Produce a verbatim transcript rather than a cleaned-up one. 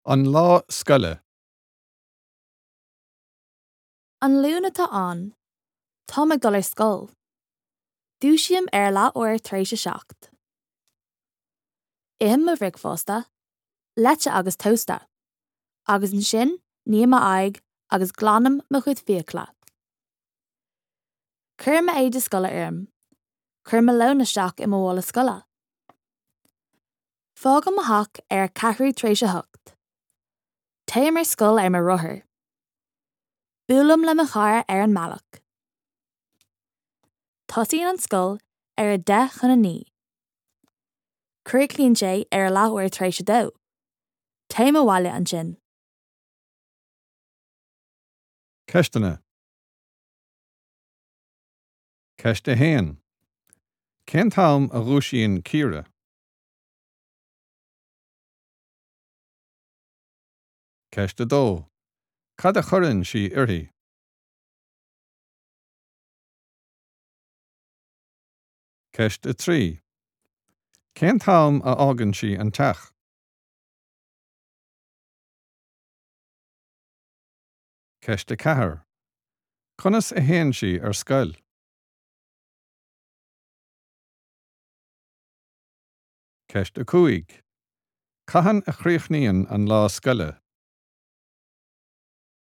An lá scoile. An Luan atá ann. Táim ag dul ar scoil. Dúisím ar leathuair tar éis a seacht. Ithim mo bhricfeasta, leite agus tósta, agus ansin ním m'aghaidh agus glanaim mo chuid fiacla. Cuirim m'éide scoile orm, Cuirim mo lón isteach i mo mhála scoile. Fágaim mo theach ar a ceathrú tar éis a hocht. Téim ar scoil ar mo rothar. Buailim le mo chara ar an mbealach. Tosaíonn an scoil ar a deich chun a naoi. Críochnaíonn sé ar a leathuair tar éis a dó. Téim abhaile ansin. Ceisteanna. Ceist a haon. Cén t-am a dhúisíonn Ciara? Ceist a dó. Cad a chuireann sí uirthi? Ceist a trí. Cén t-am a fhágann sí an teach? Ceist a ceathair. Conas a théann sí ar scoil? Ceist a cúig. Cathain a chríochnaíonn an lá scoile?